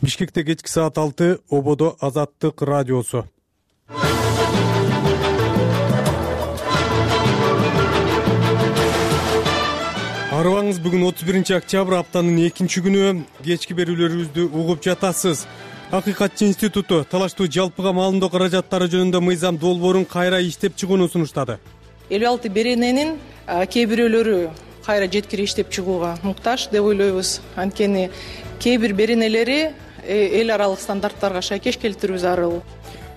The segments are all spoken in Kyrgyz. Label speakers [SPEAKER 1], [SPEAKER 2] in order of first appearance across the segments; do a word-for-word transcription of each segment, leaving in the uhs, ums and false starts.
[SPEAKER 1] Бишкекте кечки саат алты, Ободо Азаттык радиосу. Арыбаңыз, бүгүн отуз биринчи октябрь, аптанын экинчи күнү. Кечки берүүлөрүбүздү угуп жатасыз. Акыйкатчы институту талаштуу жалпыга маалымдоо каражаттары жөнүндө мыйзам долбоорун кайра иштеп чыгууну сунуштады.
[SPEAKER 2] элүү алты берененин кээ бирөөлөрү кайра жеткири иштеп чыгууга муктаж деп ойлойбуз. Анткени кээ бир беренелери эл аралык стандарттарга шайкеш келтирүү зарыл.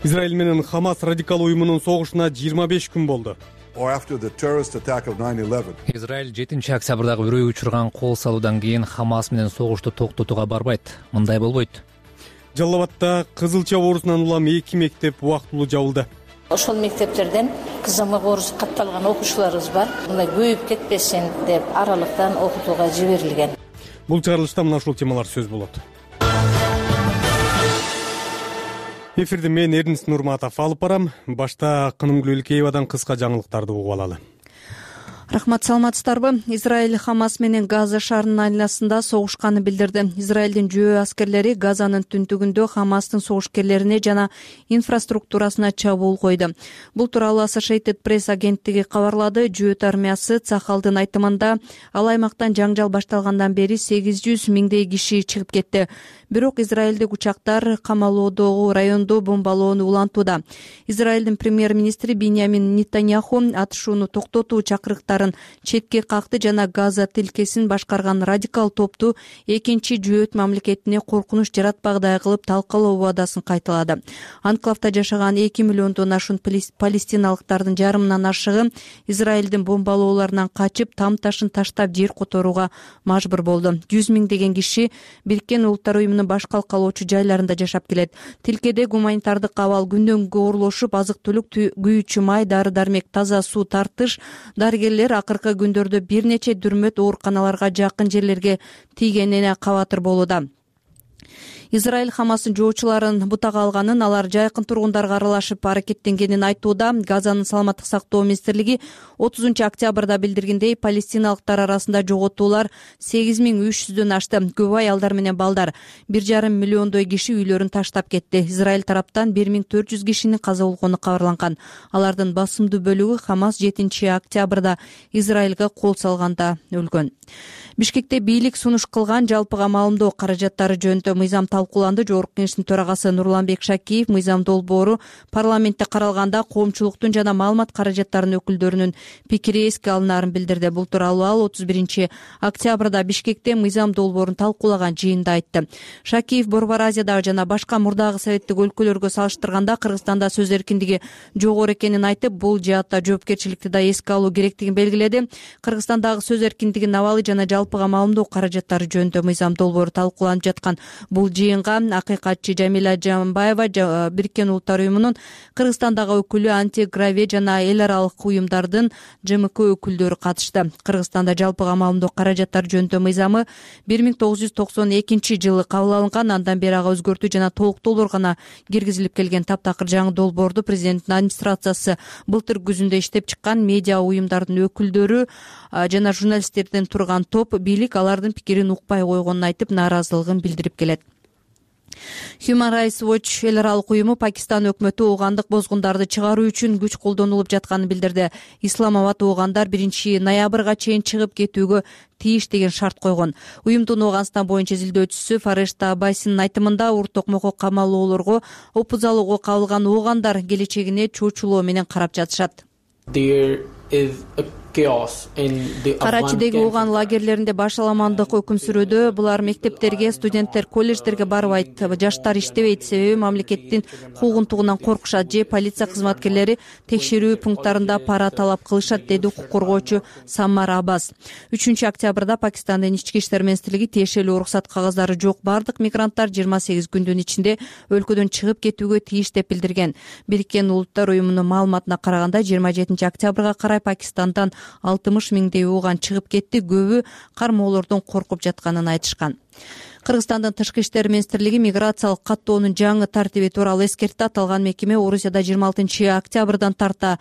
[SPEAKER 1] Израиль менен Хамас радикал уюмунун согушуна жыйырма беш күн болду.
[SPEAKER 3] Израиль жетинчи октябрдагы үрөйгө учурган кол салуудан кийин Хамас менен согушту токтотууга барбайт. Мындай болбойт.
[SPEAKER 1] Жалал Абадта кызылча оорусунан улам эки мектеп убактылуу жабылды.
[SPEAKER 4] Ошол мектептерден кызамык оорусу катталган окуучуларыбыз бар. Мындай көйүп кетпесин деп аралыктан окутууга жиберилген.
[SPEAKER 1] Бул чыгарылышта мына ушул темалар сөз болот. Эфирди мен Эрнис Нурматов алып барам. Башта Кынымгүл Элкеевадан кыска жаңылыктарды угуп алалы.
[SPEAKER 5] Рахмат, саламатсыздарбы? Израиль Хамас менен Газа шаарынын айланасында согушканын билдирди. Израилдин жөө аскерлери Газанын түндүгүндө Хамастын согушкерлерине жана инфраструктурасына чабуул койду. Бул тууралуу Associated Press агенттиги кабарлады. Жөөт армиясы Цахалдын айтымында ал аймактан жаңжал башталгандан бери сегиз жүз миңдей киши чыгып кетти. Бирок израилдик учактар камалоодогу райондо бомбалоону улантууда. Израилдин премьер-министри Биньямин Нетаньяху атышууну токтотуу чакырыктарын четке какты жана Газа тилкесин башкарган радикал топту экинчи жөөт мамлекетине коркунуч жаратпагыдай кылып талкалоо убадасын кайталады. Анклавда жашаган эки миллиондон ашуун палестиналыктардын жарымынан ашыгы Израилдин бомбалоолорунан качып, там ташын таштап жер которууга мажбур болду. жүз миңдеген киши Бириккен Улуттар уюмунун баш калкалоочу жайларында жашап келет. Тилкеде гуманитардык абал күндөн күнгө оорлошуп, азык-түлүк, күйүүчү май, дары-дармек, таза суу тартыш, дарыгерлер акыркы күндөрдө бир нече дүрмөт ооруканаларга жакын жерлерге тийгенине кабатыр болууда. Израиль Хамастын жоочуларын бутага алганын, алар жайкын тургундарга аралашып аракеттенгенин айтууда. Газанын саламаттык сактоо министрлиги отузунчу октябрда билдиргендей, палестиналыктар арасында жоготуулар сегиз миң үч жүздөн ашты. Көп аялдар менен балдар, бир жарым миллиондой киши үйлөрүн таштап кетти. Израиль тараптан бир миң төрт жүз кишинин каза болгону кабарланган. Алардын басымдуу бөлүгү Хамас жетинчи октябрда Израилга кол салганда өлгөн. Бишкекте бийлик сунуш кылган жалпыга маалымдоо каражаттары жөнүндө мыйзам талкууланды. Жогорку кеңештин төрагасы Нурланбек Шакиев мыйзам долбоору парламентте каралганда коомчулуктун жана маалымат каражаттарынын өкүлдөрүнүн пикири эске алынаарын билдирди. Бул тууралуу ал отуз биринчи октябрда Бишкекте мыйзам долбоорун талкуулаган жыйында айтты. Шакиев Борбор Азиядагы жана башка мурдагы советтик өлкөлөргө салыштырганда Кыргызстанда сөз эркиндиги жогору экенин айтып, бул жаатта жоопкерчиликти да эске алуу керектигин белгиледи. Кыргызстандагы сөз эркиндигинин абалы жана жалпыга маалымдоо каражаттары жөнүндө мыйзам долбоору талкууланып жаткан бул жыйынга акыйкатчы Жамиля Жамбаева, Бириккен Улуттар уюмунун Кыргызстандагы өкүлү Антиграве жана эл аралык уюмдардын Ж М К өкүлдөрү катышты. Кыргызстанда жалпыга маалымдоо каражаттары жөнүндө мыйзамы бир миң тогуз жүз токсон экинчи жылы кабыл алынган. Андан бери ага өзгөртүү жана толуктоолор гана киргизилип келген. Таптакыр жаңы долбоорду президенттин администрациясы былтыр күзүндө иштеп чыккан. Медиа уюмдардын өкүлдөрү жана журналисттерден турган топ бийлик алардын пикирин укпай койгонун айтып, нааразылыгын билдирип келет. Human Rights Watch эл аралык уюму Пакистан өкмөтү оогандык бозгундарды чыгаруу үчүн күч колдонулуп жатканын билдирди. Исламабад оогандар биринчи ноябрга чейин чыгып кетүүгө тийиш деген шарт койгон. Уюмдун Ооганстан боюнча изилдөөчүсү Фарешта Аббасинин айтымында, уртокмокко камалоолорго, опузалууга кабылган оогандар келечегине чоочулоо менен карап жатышат. Карачидеги ооган лагерлеринде башаламандык өкүм сүрүүдө. Булар мектептерге, студенттер колледждерге барбайт. Жаштар иштебейт, себеби мамлекеттин куугунтугунан коркушат же полиция кызматкерлери текшерүү пункттарында пара талап кылышат, деди укук коргоочу Саммар Аббас. үчүнчү октябрда Пакистандын ички иштер министрлиги тиешелүү уруксат кагаздары жок бардык мигранттар жыйырма сегиз күндүн ичинде өлкөдөн чыгып кетүүгө тийиш деп билдирген. Бириккен Улуттар уюмунун маалыматына караганда жыйырма жетинчи октябрга карай Пакистандан алтымыш миңдей ооган чыгып кетти. Көбү кармоолордон коркуп жатканын айтышкан. Кыргызстандын тышкы иштер министрлиги миграциялык каттоонун жаңы тартиби тууралуу эскертти. Аталган мекеме Орусияда жыйырма алтынчы октябрдан тарта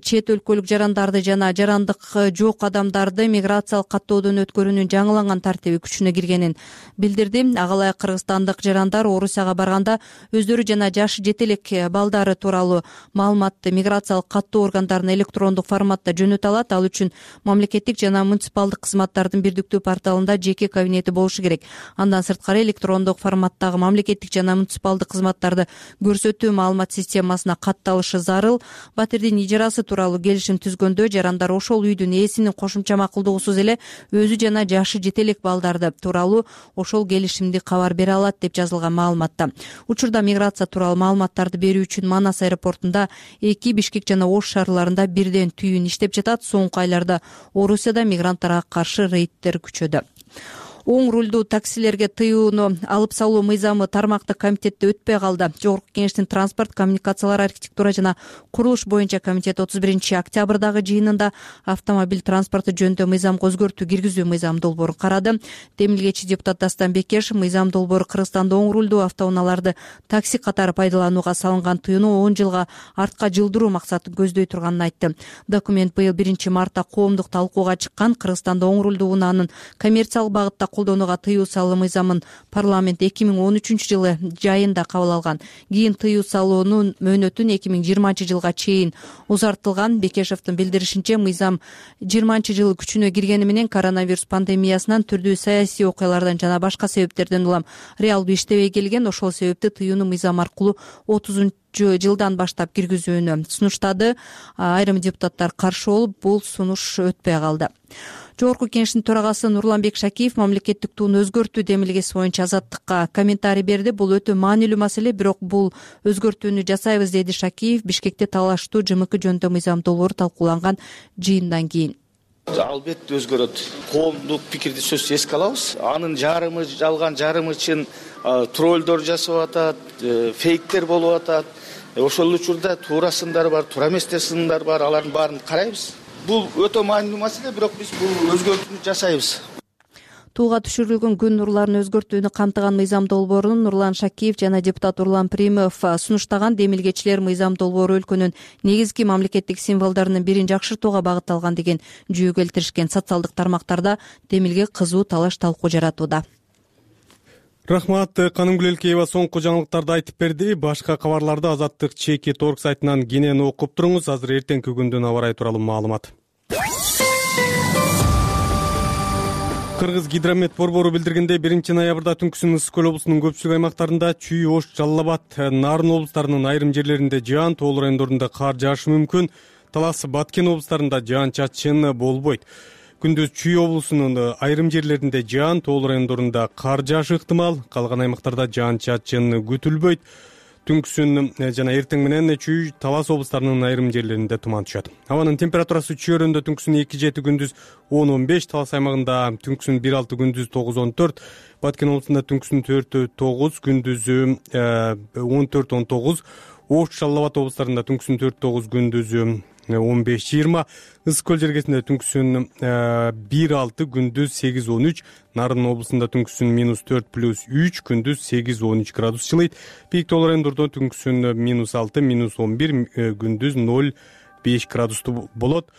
[SPEAKER 5] чет өлкөлүк жарандарды жана жарандык жок адамдарды миграциялык каттоодон өткөрүүнүн жаңыланган тартиби күчүнө киргенин билдирди. Ага ылайык кыргызстандык жарандар Орусияга барганда өздөрү жана жашы жете элек балдары тууралуу маалыматты миграциялык каттоо органдарына электрондук форматта жөнөтө алат. Ал үчүн мамлекеттик жана муниципалдык кызматтардын бирдиктүү порталында жеке кабинети болушу керек. Андан сырткары электрондук форматтагы мамлекеттик жана муниципалдык кызматтарды көрсөтүү маалымат системасына катталышы зарыл. Батирдин ижарасы тууралуу келишим түзгөндө жарандар ошол үйдүн ээсинин кошумча макулдугусуз эле өзү жана жашы жете элек балдарды тууралуу ошол келишимди кабар бере алат деп жазылган маалыматта. Учурда миграция тууралуу маалыматтарды берүү үчүн Манас аэропортунда эки, Бишкек жана Ош шаарларында бирден түйүн иштеп жатат. Соңку айларда Орусияда мигранттарга каршы рейдтер күчөдү. Оң рулдуу таксилерге тыюуну алып салуу мыйзамы тармактык комитетте өтпөй калды. Жогорку Кеңештин транспорт, коммуникациялар, архитектура жана курулуш боюнча комитет отуз биринчи октябрдагы жыйынында автомобиль транспорту жөнүндө мыйзамга өзгөртүү киргизүү мыйзам долбоорун карады. Демилгечи депутат Дастан Бекешев мыйзам долбоору Кыргызстанда оң рулдуу автоунааларды такси катары пайдаланууга салынган тыюуну он жылга артка жылдыруу максатын көздөй турганын айтты. Документ быйыл биринчи мартта коомдук талкууга чыккан. Кыргызстанда оң рулдуу унаанын коммерциялык багытта колдонууга тыюу салуу мыйзамын парламент эки миң он үчүнчү жылы жайында кабыл алган. Кийин тыюу салуунун мөөнөтүн эки миң жыйырманчы жылга чейин узартылган. Бекешевдин билдиришинче, мыйзам жыйырманчы жылы күчүнө киргени менен коронавирус пандемиясынан, түрдүү саясий окуялардан жана башка себептерден улам реалдуу иштебей келген. Ошол себепти тыюуну мыйзам аркылуу отузунчу жылдан баштап киргизүүнү сунуштады. Айрым депутаттар каршы болуп, бул сунуш өтпөй калды. Жогорку Кеңештин төрагасы Нурланбек Шакиев мамлекеттик тууну өзгөртүү демилгеси боюнча Азаттыкка комментарий берди. Бул өтө маанилүү маселе, бирок бул өзгөртүүнү жасайбыз, деди Шакиев Бишкекте талаштуу ЖМК жөнүндө мыйзам долбоору талкууланган жыйындан кийин.
[SPEAKER 6] Албетте өзгөрөт. Коомдук пикирди сөзсүз эске алабыз. Анын жарымы жалган, жарымы чын троллдор жасап атат, фейктер болуп атат. Ошол учурда туура сындар бар, туура эместер сындар бар. Алардын баарын карайбыз. Бул өтө маанилүү маселе, бирок биз бул өзгөртүүнү жасайбыз.
[SPEAKER 5] Тууга түшүрүлгөн күн нурларын өзгөртүүнү камтыган мыйзам долбоорун Нурлан Шакиев жана депутат Урлан Примов сунуштаган. Демилгечилер мыйзам долбоору өлкөнүн негизги мамлекеттик символдорунун бирин жакшыртууга багытталган деген жүйө келтиришкен. Социалдык тармактарда демилге кызуу талаш талкуу жаратууда.
[SPEAKER 1] Рахмат, Канымгүл Элкеева соңку жаңылыктарды айтып берди. Башка кабарларды Азаттык чеки торг сайтынан кенен окуп туруңуз. Азыр эртеңки күндүн аба ырайы тууралуу маалымат. Кыргыз гидромет борбору билдиргендей, биринчи ноябрда түнкүсүн Ысык көл облусунун көпчүлүк аймактарында Чүй, Ош, Жалал Абад, Нарын облустарынын айрым жерлеринде жаан, тоол райондорунда кар жаашы мүмкүн. Талас, Баткен облустарында жаан-чачын болбойт. Күндүз Чүй облусунун айрым жерлеринде жаан, тоол райондорунда кар жаашы ыктымал, калган аймактарда жаан-чачын күтүлбөйт. Түнкүсүн жана эртең менен Чүй, Талас облустарынын айрым жерлеринде туман түшөт. Абанын температурасы Чүйөрөндө түнкүсүн эки жети, күндүз он он беш, Талас аймагында түнкүсүн бир алты, күндүз тогуз он төрт, Баткен облусунда түнкүсүн төрт тогуз, күндүзү он төрт он тогуз, Ош, Жалал Абад облустарында түнкүсүн төрт тогуз, күндүзү он беш жыйырма, Ысык көл жергесинде түнкүсүн бир алты, күндүз сегиз он үч, Нарын облусунда түнкүсүн минус төрт плюс үч, күндүз сегиз он үч градус жылыйт. Бийик тоо райондордо түнкүсүн минус алты, минус он бир, күндүз ноль беш градустуу болот.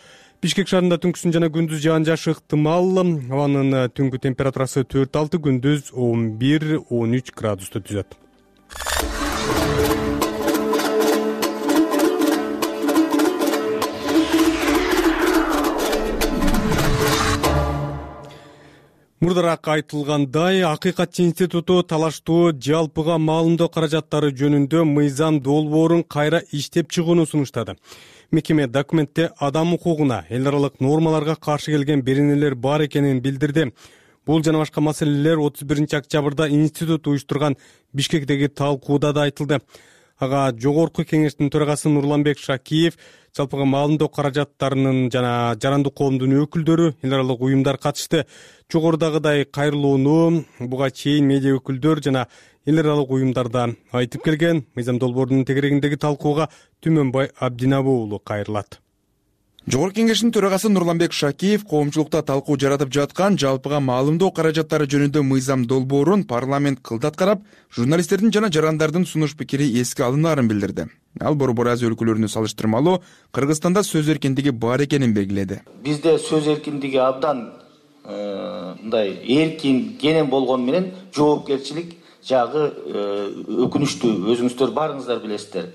[SPEAKER 1] Бишкек шаарында түнкүсүн жана күндүз жаан жаашы ыктымал. Абанын түнгү температурасы төрт алты, күндүз он бир он үч градусту түзөт. Мурдараак айтылгандай, Акыйкатчы институту талаштуу жалпыга маалымдоо каражаттары жөнүндө мыйзам долбоорун кайра иштеп чыгууну сунуштады. Мекеме документте адам укугуна, эл аралык нормаларга каршы келген беренелер бар экенин билдирди. Бул жана башка маселелер отуз биринчи октябрда институт уюштурган Бишкектеги талкууда да айтылды. Ага Жогорку Кеңештин төрагасы Нурланбек Шакиев, жалпыга маалымдоо каражаттарынын жана жарандык коомдун өкүлдөрү, эл аралык уюмдар катышты. Жогорудагыдай кайрылууну буга чейин медиа өкүлдөр жана эл аралык уюмдарда айтып келген. Мыйзам долбоорунун тегерегиндеги талкууга Түмөнбай Абдинабы уулу кайрылат.
[SPEAKER 7] Жогорку Кеңештин төрагасы Нурланбек Шакиев коомчулукта талкуу жаратып жаткан жалпыга маалымдоо каражаттары жөнүндө мыйзам долбоорун парламент кылдат карап, журналисттердин жана жарандардын сунуш пикири эске алынаарын билдирди. Ал Борбор Азия өлкөлөрүнө салыштырмалуу Кыргызстанда сөз эркиндиги бар экенин белгиледи.
[SPEAKER 6] Бизде сөз эркиндиги абдан мындай эркин, кенен болгону менен жоопкерчилик жагы өкүнүчтүү. Өзүңүздөр барыңыздар билесиздер.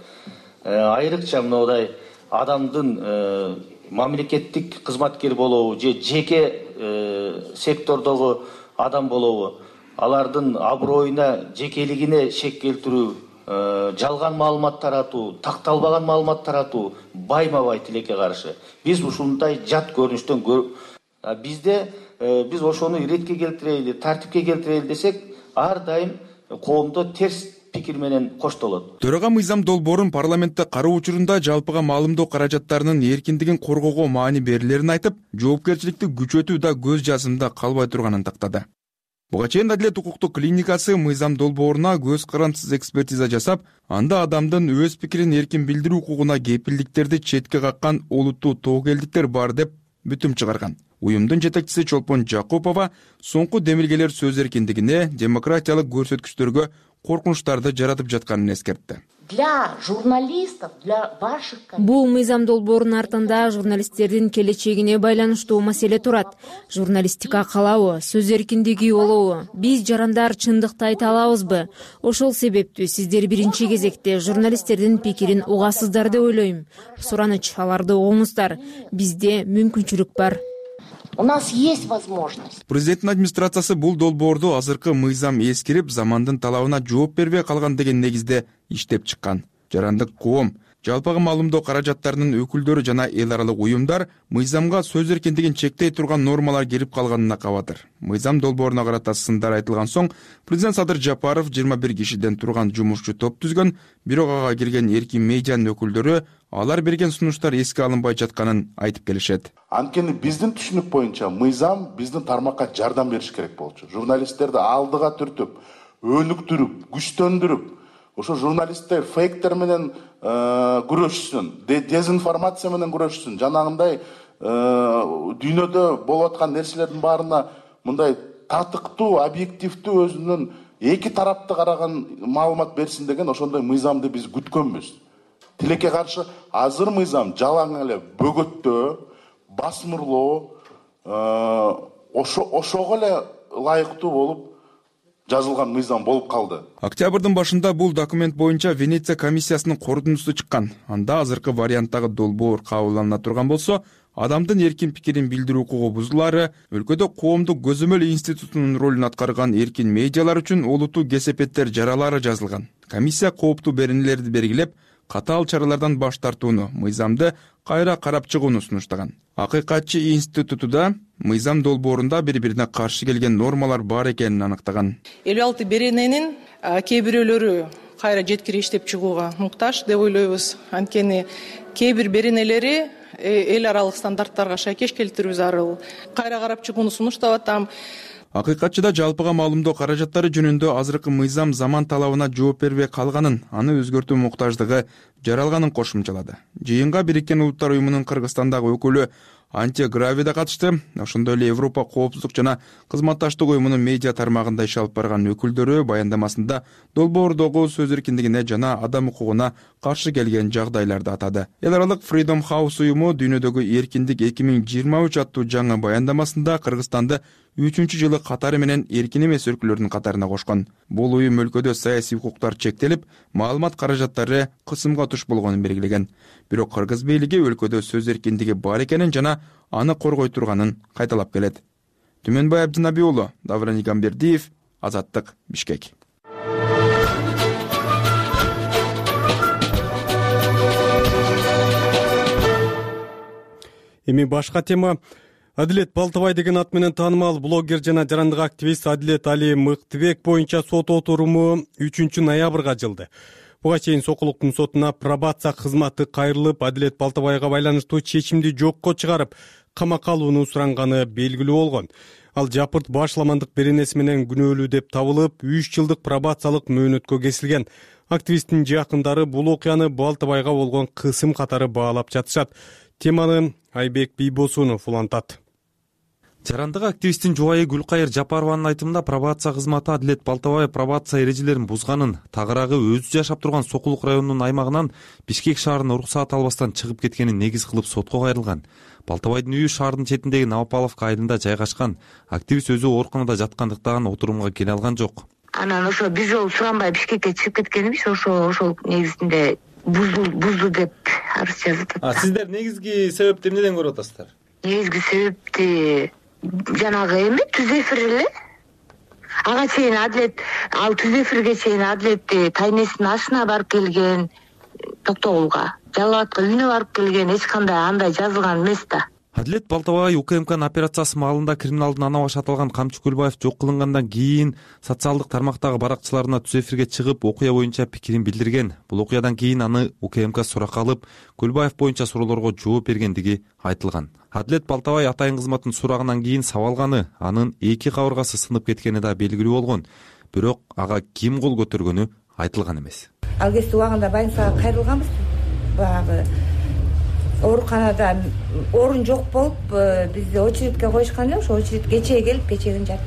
[SPEAKER 6] Айрыкча мындай адамдын мамлекеттик кызматкер болобу же жеке сектордогу адам болобу, алардын аброюна, жекелигине шек келтирүү, жалган маалымат таратуу, такталбаган маалымат таратуу байма-бай тилекке каршы. Биз ушундай жат көрүнүштөн бизде биз ошону иретке келтирели, тартипке келтирели десек, ар дайым коомдо терс пикир менен коштолот.
[SPEAKER 7] Төрага мыйзам долбоорун парламентте кароо учурунда жалпыга маалымдоо каражаттарынын эркиндигин коргоого маани берилерин айтып, жоопкерчиликти күчөтүү да көз жазымда калбай турганын тактады. Буга чейин Адилет укуктук клиникасы мыйзам долбооруна көз карандысыз экспертиза жасап, анда адамдын өз пикирин эркин билдирүү укугуна кепилдиктерди четке каккан олуттуу тобокелдиктер бар деп бүтүм чыгарган. Уюмдун жетекчиси Чолпон Жакупова соңку демилгелер сөз эркиндигине, демократиялык көрсөткүчтөргө коркунучтарды жаратып жатканын эскертти.
[SPEAKER 8] Для журналистов, для ваших...
[SPEAKER 9] Бул мыйзам долбоорунун артында журналисттердин келечегине байланыштуу маселе турат. Журналистика калабы, сөз эркиндиги болобу? Биз жарандар чындыкты айта алабызбы? Ошол себептүү сиздер биринчи кезекте журналисттердин пикирин угасыздар деп ойлойм. Сураныч, аларды угуңуздар. Бизде мүмкүнчүлүк бар.
[SPEAKER 8] У нас есть возможность.
[SPEAKER 7] Президенттин администрациясы бул долбоорду азыркы мыйзам эскирип, замандын талабына жооп бербей калган деген негизде иштеп чыккан. Жарандык коом, жалпыга маалымдоо каражаттарынын өкүлдөрү жана эл аралык уюмдар мыйзамга сөз эркиндигин чектей турган нормалар кирип калганына кабатыр. Мыйзам долбооруна карата сындар айтылган соң, президент Садыр Жапаров жыйырма бир кишиден турган жумушчу топ түзгөн, бирок ага кирген эркин медианын өкүлдөрү алар берген сунуштар эске алынбай жатканын айтып келишет.
[SPEAKER 10] Анткени биздин түшүнүк боюнча мыйзам биздин тармакка жардам бериш керек болчу. Журналисттерди алдыга түртүп, өнүктүрүп, күчтөндүрүп, ошо журналисттер фейктер менен күрөшсүн, дезинформация менен күрөшсүн. Жанагындай дүйнөдө болуп аткан нерселердин баарына мындай татыктуу, объективдүү өзүнүн эки тарапты караган маалымат берсин деген ошондой мыйзамды биз күткөнбүз. Тилекке каршы азыр мыйзам жалаң эле бөгөттөө, басмырлоо, ошого эле ылайыктуу болуп жазылган мыйзам болуп калды.
[SPEAKER 7] Октябрдын башында бул документ боюнча Венеция комиссиясынын корутундусу чыккан. Анда азыркы варианттагы долбоор кабылдана турган болсо, адамдын эркин пикирин билдирүү укугу бузулаары, өлкөдө коомдук көзөмөл институтунун ролун аткарган эркин медиалар үчүн олуттуу кесепеттер жаралары жазылган. Комиссия кооптуу беренелерди белгилеп, катаал чаралардан баш тартууну, мыйзамды кайра карап чыгууну сунуштаган. Акыйкатчы институту да мыйзам долбоорунда бири-бирине каршы келген нормалар бар экенин аныктаган.
[SPEAKER 2] элүү алты берененин кээ бирөөлөрү кайра жеткире иштеп чыгууга муктаж деп ойлойбуз. Анткени кээ бир беренелери эл аралык стандарттарга шайкеш келтирүү зарыл. Кайра карап чыгууну сунуштап атам.
[SPEAKER 7] Акыйкатчыда жалпыга маалымдоо каражаттары жөнүндө азыркы мыйзам заман талабына жооп бербей калганын, аны өзгөртүү муктаждыгы жаралганын кошумчалады. Жыйынга Бириккен Улуттар уюмунун Кыргызстандагы өкүлү Анте Грави да катышты. Ошондой эле Европа коопсуздук жана кызматташтык уюмунун медиа тармагында иш алып барган өкүлдөрү баяндамасында долбоордогу сөз эркиндигине жана адам укугуна каршы келген жагдайларды атады. Эл аралык Freedom House уюму дүйнөдөгү эркиндик эки миң жыйырма үч аттуу жаңы баяндамасында Кыргызстанды үчүнчү жылы катары менен эркин эмес өлкөлөрдүн катарына кошкон. Бул уюм өлкөдө саясий укуктар чектелип, маалымат каражаттары кысымга туш болгонун белгилеген. Бирок кыргыз бийлиги өлкөдө сөз эркиндиги бар экенин жана аны коргой турганын кайталап келет. Түмөнбай Абдынаби уулу, Давран Игамбердиев, Азаттык, Бишкек.
[SPEAKER 1] Эми башка тема. Адилет Балтабай деген ат менен таанымал блогер жана жарандык активист Адилет Али Мыктыбек боюнча сот отуруму үчүнчү ноябрга жылды. Буга чейин Сокулуктун сотуна пробация кызматы кайрылып, Адилет Балтабайга байланыштуу чечимди жокко чыгарып, камакка алууну суранганы белгилүү болгон. Ал жапырт башламандык беренеси менен күнөөлүү деп табылып, үч жылдык пробациялык мөөнөткө кесилген. Активисттин жакындары бул окуяны Балтабайга болгон кысым катары баалап жатышат. Теманы Айбек Бийбосунов улантат.
[SPEAKER 11] Жарандык активисттин жубайы Гүлкайыр Жапарованын айтымында пробация кызматы Адилет Балтабаев пробация эрежелерин бузганын, тагыраагы өзү жашап турган Сокулук районунун аймагынан Бишкек шаарына уруксаат албастан чыгып кеткенин негиз кылып сотко кайрылган. Балтабайдын үйү шаардын четиндеги Новопавловка айылында жайгашкан. Активист өзү ооруканада жаткандыктан отурумга келе алган жок.
[SPEAKER 12] Анан ошо биз жол суранбай Бишкекке чыгып кеткенбиз, ошо ошол негизинде бузду бузду деп арыз жазып атат.
[SPEAKER 11] А сиздер негизги себепти эмнеден көрүп атасыздар?
[SPEAKER 12] Негизги себепти жанагы эме түз эфир эле. Ага чейин Адилет, ал түз эфирге чейин Адилет тайнесинин ашына барып келген, Токтогулга, Жалал Абадка үйүнө барып келген, эч кандай андай жазылган эмес да.
[SPEAKER 11] Адилет Балтабаев УКМКнын операциясы маалында криминалдын ана башы аталган Камчы Көлбаев жок кылынгандан кийин социалдык тармактагы баракчыларына түз эфирге чыгып окуя боюнча пикирин билдирген. Бул окуядан кийин аны УКМК суракка алып, Көлбаев боюнча суроолорго жооп бергендиги айтылган. Адилет Балтабаев атайын кызматтын сурагынан кийин сабалганы, анын эки кабыргасы сынып кеткени да белгилүү болгон. Бирок ага ким кол көтөргөнү айтылган эмес.
[SPEAKER 13] Ал кезде убагында больницага кайрылганбыз. Баягы ооруканада орун жок болуп, бизди очередке коюшкан эле, ошо очередке кечээ келип, кечээден жатты,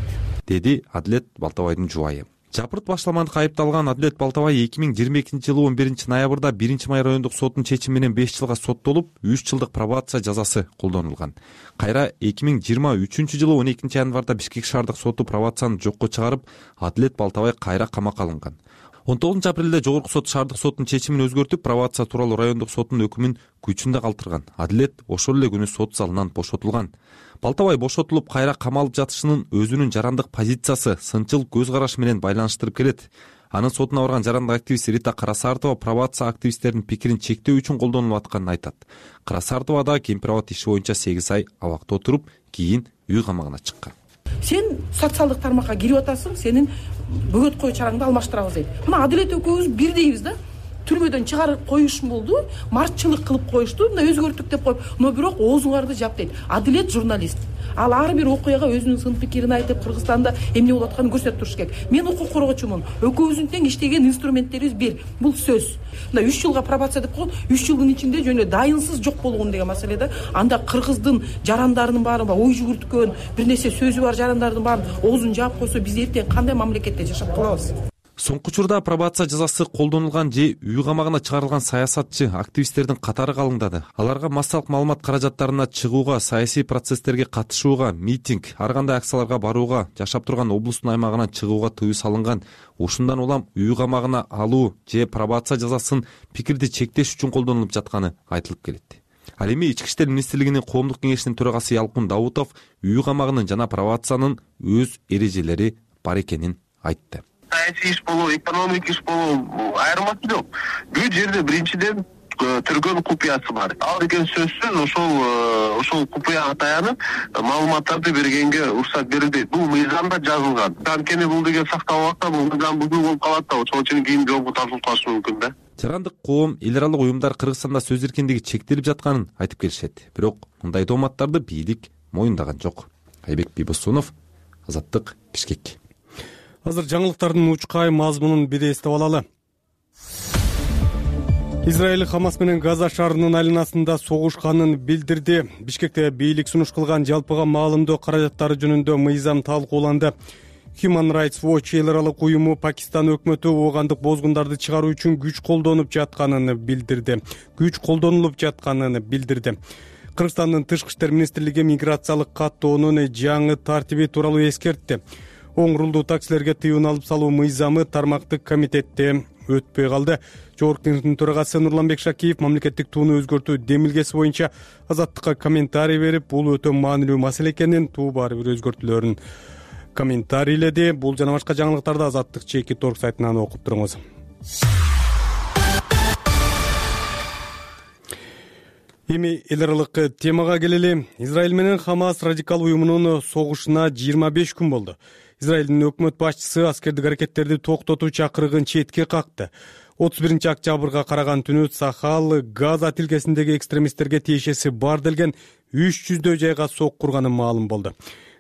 [SPEAKER 11] деди Адилет Балтабаевдин жубайы. Жапырт башламандыкка айыпталган Адилет Балтабаев эки миң жыйырма экинчи жылы он биринчи ноябрда биринчи май райондук соттун чечими менен беш жылга соттолуп, үч жылдык пробация жазасы колдонулган. Кайра эки миң жыйырма үчүнчү жылы он экинчи январда Бишкек шаардык соту пробацияны жокко чыгарып, Адилет Балтабаев кайра камакка алынган. он тогузунчу апрелде жогорку сот шаардык соттун чечимин өзгөртүп, пробация тууралуу райондук соттун өкүмүн күчүндө калтырган. Адилет ошол эле күнү сот залынан бошотулган. Балтабаев бошотулуп, кайра камалып жатышынын өзүнүн жарандык позициясы, сынчыл көз карашы менен байланыштырып келет. Анын сотуна барган жарандык активист Рита Карасартова пробация активисттердин пикирин чектөө үчүн колдонулуп атканын айтат. Карасартова да кемпир-абад иши боюнча сегиз ай абакта отуруп, кийин үй камагына чыккан.
[SPEAKER 14] Сен социалдык тармакка кирип атасың, сенин бөгөт кою чараңды алмаштырабыз дейт. Мына Адилет экөөбүз бирдейбиз да. Түрмөдөн чыгарып коюшум болду, мартчылык кылып коюшту, мына өзгөрттүк деп коюп, но бирок оозуңарды жап дейт. Адилет журналист. Ал ар бир окуяга өзүнүн сын пикирин айтып, Кыргызстанда эмне болуп атканын көрсөтүп туруш керек. Мен укук коргоочумун. Экөөбүздүн тең иштеген инструменттерибиз бир. Бул сөз. Мына үч жылга пробация деп койгон, үч жылдын ичинде жөнө дайынсыз жок болгон деген маселе да. Анда кыргыздын жарандарынын баары ой жүгүрткөн, бир нерсе сөзү бар жарандардын баарын оозун жаап койсо, биз эртең кандай мамлекетте жашап калабыз?
[SPEAKER 11] Соңку учурда пробация жазасы колдонулган же үй камагына чыгарылган саясатчы, активисттердин катары калыңдады. Аларга массалык маалымат каражаттарына чыгууга, саясий процесстерге катышууга, митинг, ар кандай акцияларга барууга, жашап турган облустун аймагынан чыгууга тыюу салынган. Ушундан улам үй камагына алуу же пробация жазасын пикирди чектеш үчүн колдонулуп жатканы айтылып келет. Ал эми Ички иштер министрлигинин коомдук кеңешинин төрагасы Ялкын Даутов үй камагынын жана пробациянын өз эрежелери бар экенин айтты.
[SPEAKER 15] Саясий иш болобу, экономик иш болобу, айырмасы жок. Бул жерде биринчиден түргөн купуясы бар. Ал деген сөзсүз ошол ошол купуяга таянып маалыматтарды бергенге уруксат берилбейт. Бул мыйзамда жазылган. Анткени бул деген сакталып атса, бул мыйзам бузуу болуп калат да, ошол үчүн кийин жоопко тартылып калышы мүмкүн да.
[SPEAKER 11] Жарандык коом, эл аралык уюмдар Кыргызстанда сөз эркиндиги чектелип жатканын айтып келишет. Бирок мындай тооматтарды бийлик моюндаган жок. Айбек Бийбосунов, Азаттык, Бишкек.
[SPEAKER 1] Азыр жаңылыктардын учкай мазмунун бир эстеп алалы. Израиль Хамас менен Газа шаарынын айланасында согушканын билдирди. Бишкекте бийлик сунуш кылган жалпыга маалымдоо каражаттары жөнүндө мыйзам талкууланды. Human Rights Watch эл аралык уюму Пакистан өкмөтү оогандык бозгундарды чыгаруу үчүн күч колдонуп жатканын билдирди. Күч колдонулуп жатканын билдирди. Кыргызстандын тышкы иштер министрлиги миграциялык каттоонун жаңы тартиби тууралуу эскертти. Оң рулдуу таксилерге тыюун алып салуу мыйзамы тармактык комитетте өтпөй калды. Жогорку кеңештин төрагасы Нурланбек Шакиев мамлекеттик тууну өзгөртүү демилгеси боюнча Азаттыкка комментарий берип, бул өтө маанилүү маселе экенин, туу баары бир өзгөртүүлөрүн комментарийледи. Бул жана башка жаңылыктарды Азаттык чеки торг сайтынан окуп туруңуз. Эми эл аралык темага келели. Израиль менен Хамас радикал уюмунун согушуна жыйырма беш күн болду. Израилдин өкмөт башчысы аскердик аракеттерди токтотуу чакырыгын четке какты. отуз биринчи октябрга караган түнү Сахал Газа тилкесиндеги экстремисттерге тиешеси бар делген үч жүздөй жайга сок курганы маалым болду.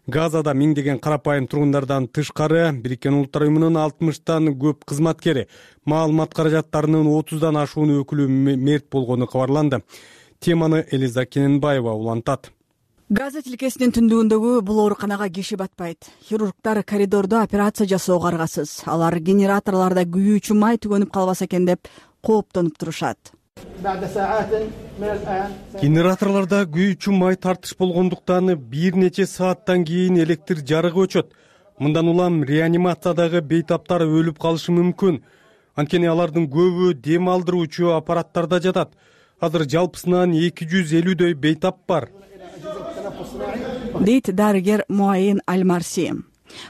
[SPEAKER 1] Газада миңдеген карапайым тургундардан тышкары Бириккен Улуттар уюмунун алтымыштан көп кызматкери, маалымат каражаттарынын отуздан ашуун өкүлү мерт болгону кабарланды. теманы Элиза Кененбаева улантат.
[SPEAKER 16] Газа тилкесинин түндүгүндөгү бул ооруканага киши батпайт. Хирургдар коридордо операция жасоого аргасыз. Алар генераторлордо күйүүчү май түгөнүп калбаса экен деп кооптонуп турушат.
[SPEAKER 1] Генераторлордо күйүүчү май тартыш болгондуктан бир нече сааттан кийин электр жарыгы өчөт. Мындан улам реанимациядагы бейтаптар өлүп калышы мүмкүн. Анткени алардын көбү дем алдыруучу аппараттарда жатат. Азыр жалпысынан эки жүз элүүдөй бейтап бар,
[SPEAKER 16] дейт дарыгер Муайин Аль-Марси.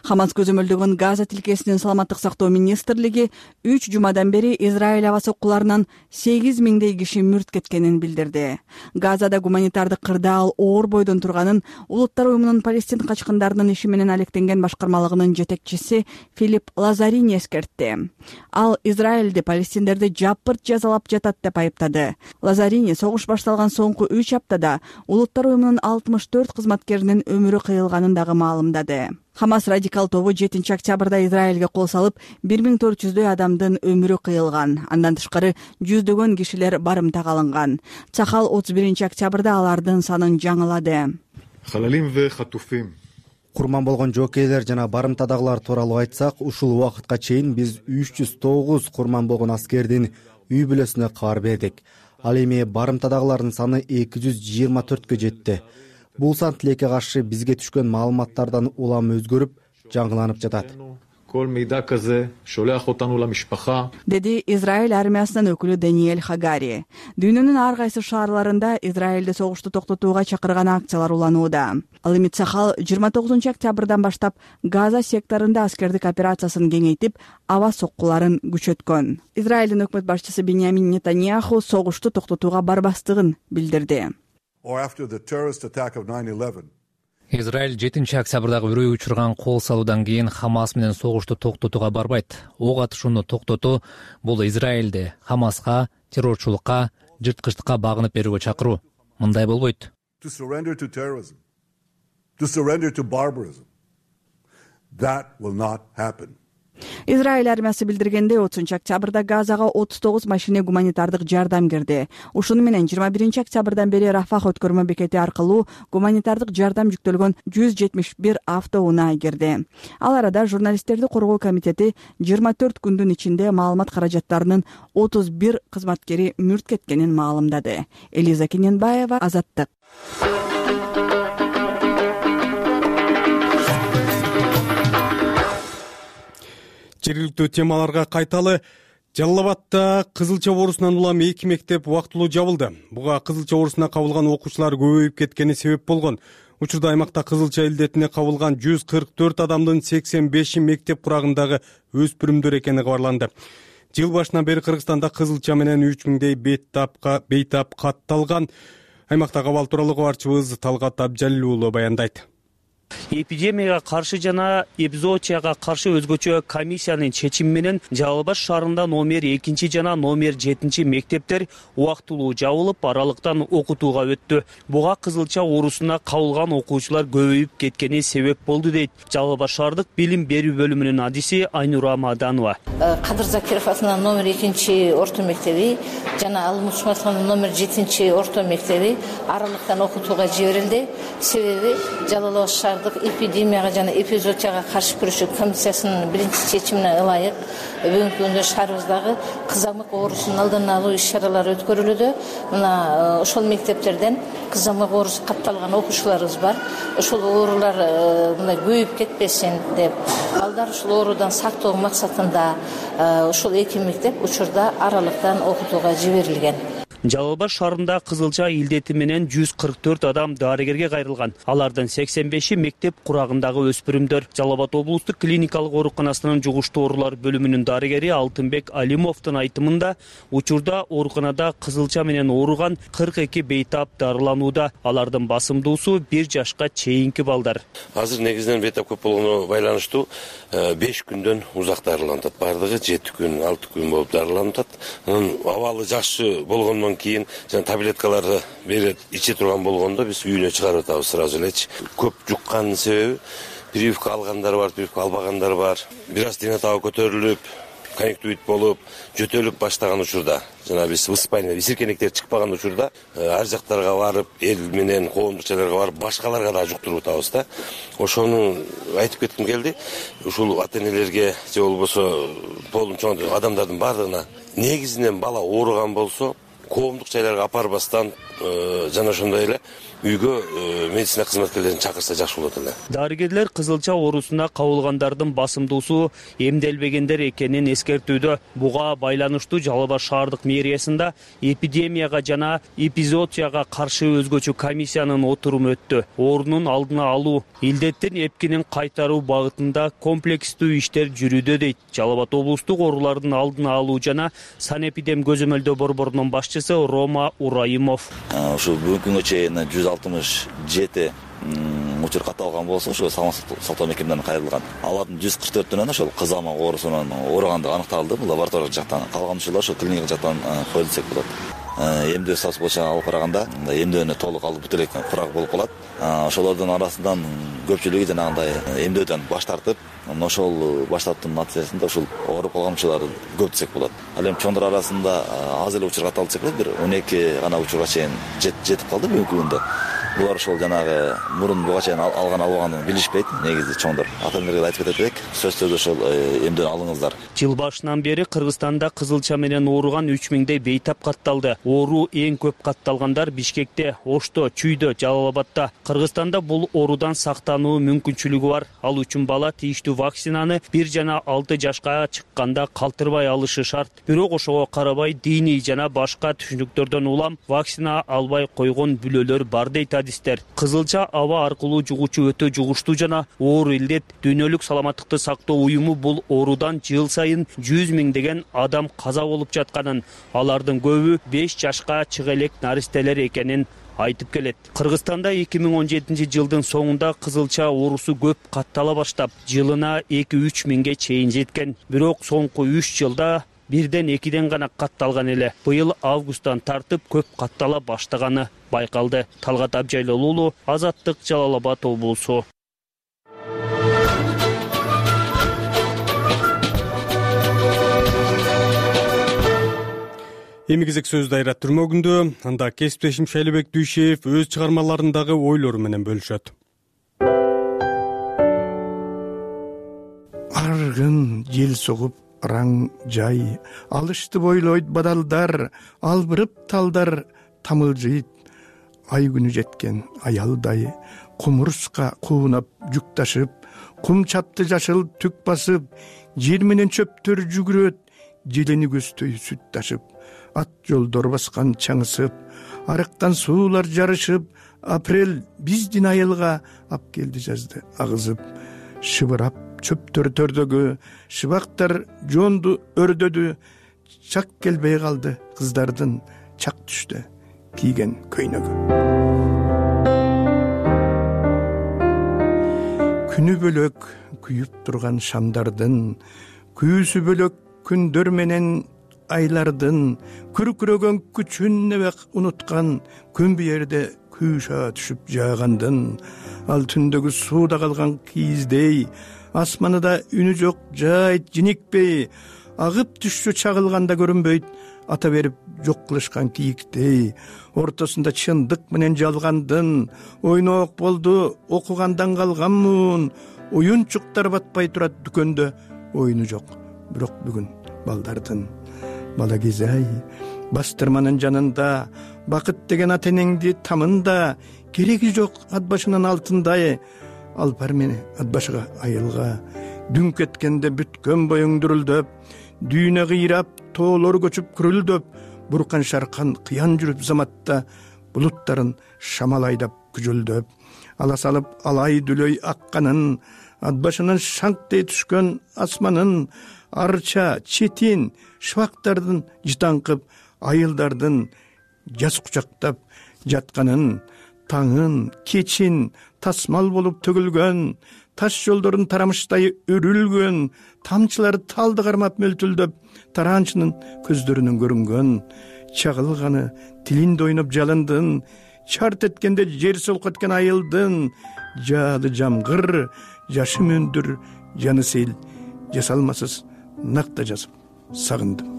[SPEAKER 16] Хамас көзөмөлдөгөн Газа тилкесинин саламаттык сактоо министрлиги үч жумадан бери Израиль аба соккуларынан сегиз миңдей киши мүрт кеткенин билдирди. Газада гуманитардык кырдаал оор бойдон турганын Улуттар уюмунун Палестин качкындарынын иши менен алектенген башкармалыгынын жетекчиси Филипп Лазарини эскертти. Ал Израилди палестиндерди жапырт жазалап жатат деп айыптады. Лазарини согуш башталган соңку үч аптада Улуттар уюмунун алтымыш төрт кызматкеринин өмүрү кыйылганын дагы маалымдады. Хамас радикал тобу жетинчи октябрда Израилге кол салып, бир миң төрт жүздөй адамдын өмүрү кыйылган. Андан тышкары жүздөгөн кишилер барымтага алынган. Цахал отуз биринчи октябрда алардын санын жаңылады.
[SPEAKER 17] Курман болгон жокейлер жана барымтадагылар тууралуу айтсак, ушул убакытка чейин биз үч жүз тогуз курман болгон аскердин үй бүлөсүнө кабар бердик. Ал эми барымтадагылардын саны эки жүз жыйырма төрткө жетти. Бул сан тилекке каршы бизге түшкөн маалыматтардан улам өзгөрүп, жаңыланып жатат.
[SPEAKER 16] Деди Израиль армиясынын өкүлү Даниэль Хагари. Дүйнөнүн ар кайсы шаарларында Израилде согушту токтотууга чакырган акциялар уланууда. Ал эми Цахал жыйырма тогузунчу октябрдан баштап Газа секторунда аскердик операциясын кеңейтип, аба соккуларын күчөткөн. Израилдин өкмөт башчысы Беньямин Нетаньяху согушту токтотууга барбастыгын билдирди.
[SPEAKER 3] Израиль жетинчи октябрдагы үрөй учурган кол салуудан кийин Хамас менен согушту токтотууга барбайт. Ок атышууну токтотуу бул Израилди Хамаска, террорчулукка, жырткычтыкка багынып берүүгө чакыруу. Мындай болбойт.
[SPEAKER 16] Израиль армиясы билдиргенде отузунчу октябрда Газага отуз тогуз машина гуманитардык жардам кирди. Ушуну менен жыйырма биринчи октябрдан бери Рафах өткөрмө бекети аркылуу гуманитардык жардам жүктөлгөн жүз жетимиш бир автоунаа кирди. Ал арада журналисттерди коргоо комитети жыйырма төрт күндүн ичинде маалымат каражаттарынын отуз бир кызматкери мүрт кеткенин маалымдады. Элиза Кененбаева, Азаттык.
[SPEAKER 1] Жергиликтүү темаларга кайталы. Жалал Кызылча оорусунан улам эки мектеп убактылуу жабылды. Буга Кызылча оорусуна кабылган окуучулар көбөйүп кеткени себеп болгон. Учурда аймакта Кызылча илдетине кабылган жүз кырк төрт адамдын сексен беши мектеп курагындагы өспүрүмдөр экени кабарланды. Жыл башынан бери Кыргызстанда Кызылча менен үч миңдей бейтапка бейтап катталган. Аймактагы абал тууралуу кабарчыбыз Талгат Абжалил уулу баяндайт.
[SPEAKER 18] Эпидемияга каршы жана эпизоотияга каршы өзгөчө комиссиянын чечими менен Жалал Абад шаарында номер экинчи жана номер жетинчи мектептер убактылуу жабылып, аралыктан окутууга өттү. Буга Кызылча оорусуна кабылган окуучулар көбөйүп кеткени себеп болду дейт Жалал Абад шаардык билим берүү бөлүмүнүн адиси Айнура Маданова.
[SPEAKER 4] Кадыр Закиров атынан номер экинчи орто мектеби жана Ал Мусматовдун номер жетинчи орто мектеби аралыктан окутууга жиберилди. Себеби Жалал Абад шаардык эпидемияга жана эпизоотияга каршы күрөшүү комиссиясынын биринчи чечимине ылайык бүгүнкү күндө шаарыбыздагы кызамык оорусунун алдын алуу иш-чаралары өткөрүлүүдө. Мына ошол мектептерден кызамык оорусу катталган окуучуларыбыз бар. Ошол оорулар мындай көбөйүп кетпесин деп, балдар ушул оорудан сактоо максатында ошол эки мектеп учурда аралыктан окутууга жиберилген.
[SPEAKER 18] Жалал Абад шаарында Кызылча илдети менен жүз кырк төрт адам дарыгерге кайрылган. Алардын сексен беши мектеп курагындагы өспүрүмдөр. Жалал Абад облустук клиникалык ооруканасынын жугуштуу оорулар бөлүмүнүн дарыгери Алтынбек Алимовдун айтымында, учурда ооруканада Кызылча менен ооруган кырк эки бейтап дарыланууда. Алардын басымдуусу бир жашка чейинки балдар.
[SPEAKER 19] Азыр негизинен бейтап көп болгону байланыштуу беш күндөн узак дарыланат. Бардыгы жети күн, алты күн болуп дарыланат. Анын абалы жакшы болгондон кийин жана таблеткаларды берет иче турган болгондо биз үйүнө чыгарып атабыз сразу элечи. Көп жукканын себеби прививка алгандар бар, прививка албагандар бар. Бир аз дене табы көтөрүлүп, конъюнктивит болуп жөтөлүп баштаган учурда, жана биз высыпание висиркенектер чыкпаган учурда ар жактарга барып, эл менен коомдук жайларга барып, башкаларга да жуктуруп атабыз да. Ошону айтып кетким келди. Ушул ата-энелерге же болбосо полун чоң адамдардын бардыгына негизинен бала ооруган болсо, коомдук жайларга апарбастан жана ошондой эле үйгө медицина кызматкерлерин чакырса жакшы болот эле.
[SPEAKER 18] Дарыгерлер кызылча оорусуна кабылгандардын басымдуусу эмделбегендер экенин эскертүүдө. Буга байланыштуу Жалал Абад шаардык мэриясында эпидемияга жана эпизоотияга каршы өзгөчө комиссиянын отуруму өттү. Оорунун алдына алуу, илдеттин эпкинин кайтаруу багытында комплекстүү иштер жүрүүдө дейт Жалал Абад облустук оорулардын алдын алуу жана санэпидем көзөмөлдөө борборунун башчысы Рома Ураимов.
[SPEAKER 20] Ушул бүгүнкү күнгө чейин жүз алтымыш жети учур катталган болсо, ошо саламаттык сактоо мекемелерине кайрылган. Алардын жүз кырк төртүнөн ошол кызамык оорусунан ооругандыгы аныкталды. Бул лабораториялык жактан, калган учурлар ошо клиникалык жактан коюлду десек болот. Эмдөө статусу боюнча алып караганда, эмдөөнү толук алып бүтө элек курак болуп калат. Ошолордун арасынан көпчүлүгү жанагындай эмдөөдөн баш тартып, ошол баш тартууның натыйжасында ушул ооруп калган учурлар көп десек болот. Ал эми чоңдор арасында аз эле учур катталды десек болот, бир он эки гана учурга чейин жетип калды бүгүнкү күндө. Булар ошол жанагы мурун буга чейин алган албаганын билишпейт, негизи чоңдор. Ата-энелерге айтып кетет элек, сөзсүз түрдө ошол эмдөө алыңыздар.
[SPEAKER 18] Жыл башынан бери Кыргызстанда кызылча менен ооруган үч миңдей бейтап катталды. Оору эң көп катталгандар Бишкекте, Ошто, Чүйдө, Жалал Абадта. Кыргызстанда бул оорудан сактануу мүмкүнчүлүгү бар. Ал үчүн бала тийиштүү вакцинаны бир жана алты жашка чыкканда калтырбай алышы шарт. Бирок ошого карабай диний жана башка түшүнүктөрдөн улам вакцина албай койгон бүлөлөр бар дейт адистер. Кызылча аба аркылуу жугуучу өтө жугуштуу жана оор илдет. Дүйнөлүк саламаттыкты сактоо уюму бул оорудан жыл сайын жүз миңдеген адам каза болуп жатканын, алардын көбү беш жашка чыга элек наристелер экенин айтып келет. Кыргызстанда эки миң он жетинчи жылдын соңунда кызылча оорусу көп каттала баштап, жылына эки үч миңге чейин жеткен. Бирок соңку үч жылда бирден экиден гана катталган эле. Быйыл августтан тартып көп каттала баштаганы байкалды. Талгат Абжайлол уулу, Азаттык, Жалал Абад облусу.
[SPEAKER 1] Эми кезек сөз дайра түрмөгүндө, анда кесиптешим Шайлебек Дүйшеев өз чыгармаларындагы ойлору менен бөлүшөт.
[SPEAKER 21] Аргын жел согуп раң жай, алышты бойлойт бадалдар, албырып талдар тамылжыйт. Ай күнү жеткен аялдай, кумурска куунап жүк ташып, кум чапты жашыл түк басып, жер менен чөптөр жүгүрөт, желени көздөй сүт ташып. Ат жолдор баскан чаңысып, арыктан суулар жарышып, апрель биздин айылга ап келди жазды агызып. Шыбырап чөптөр төрдөгү, шыбактар жонду өрдөдү, чак келбей калды кыздардын чак түштө кийген көйнөгү. Күнү бөлөк күйүп турган шамдардын, күйүүсү бөлөк күндөр менен айлардын, күркүрөгөн күчүн небек унуткан, күн биерде күйша түшүп жаагандын, ал түндөгү сууда калган кийиздей, асманында үнү жок жайт жиникпей, агып түшчү чагылганда көрүнбөйт, ата берип жок кылышкан кийиктей, ортосунда чындык менен жалгандын, ойноок болду окугандан калганмын, уюнчуктар батпай турат дүкөндө, оюну жок, бирок бүгүн балдардын. Бала кезай, бастырманын жанында, бакыт деген ата энеңди тамында, кереги жок ат башынын алтындай, алпар мени ат башыга айылга, дүн кеткенде бүткөн боюң дүрүлдөп, дүйнө кыйрап, тоолор көчүп күрүлдөп, буркан шаркан кыян жүрүп заматта, булуттарын шамал айдап күжүлдөп, ала салып алай дүлөй акканын, ат башынын шаңктей түшкөн асманын, арча, четин, шыбактардын жытаңкып, айылдардын жаз кучактап жатканын, таңын, кечин тасмал болуп төгүлгөн, таш жолдорун тарамыштай өрүлгөн, тамчылары талды кармап мөлтүлдөп, тараанчынын көздөрүнөн көрүнгөн, чагылганы тилинде ойноп жалындын, чарт эткенде жер солкоткен айылдын, жаады жамгыр, жашы мөндүр, жаны сел, жасалмасыз накта жазып сагындым.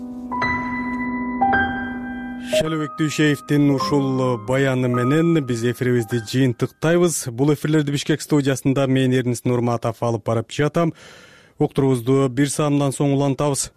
[SPEAKER 1] Шалыбек Дүйшеевдин ушул баяны менен биз эфирибизди жыйынтыктайбыз. Бул эфирлерди Бишкек студиясында мен Эрнис Нурматов алып барып жатам. Уктурубузду бир саамдан соң улантабыз.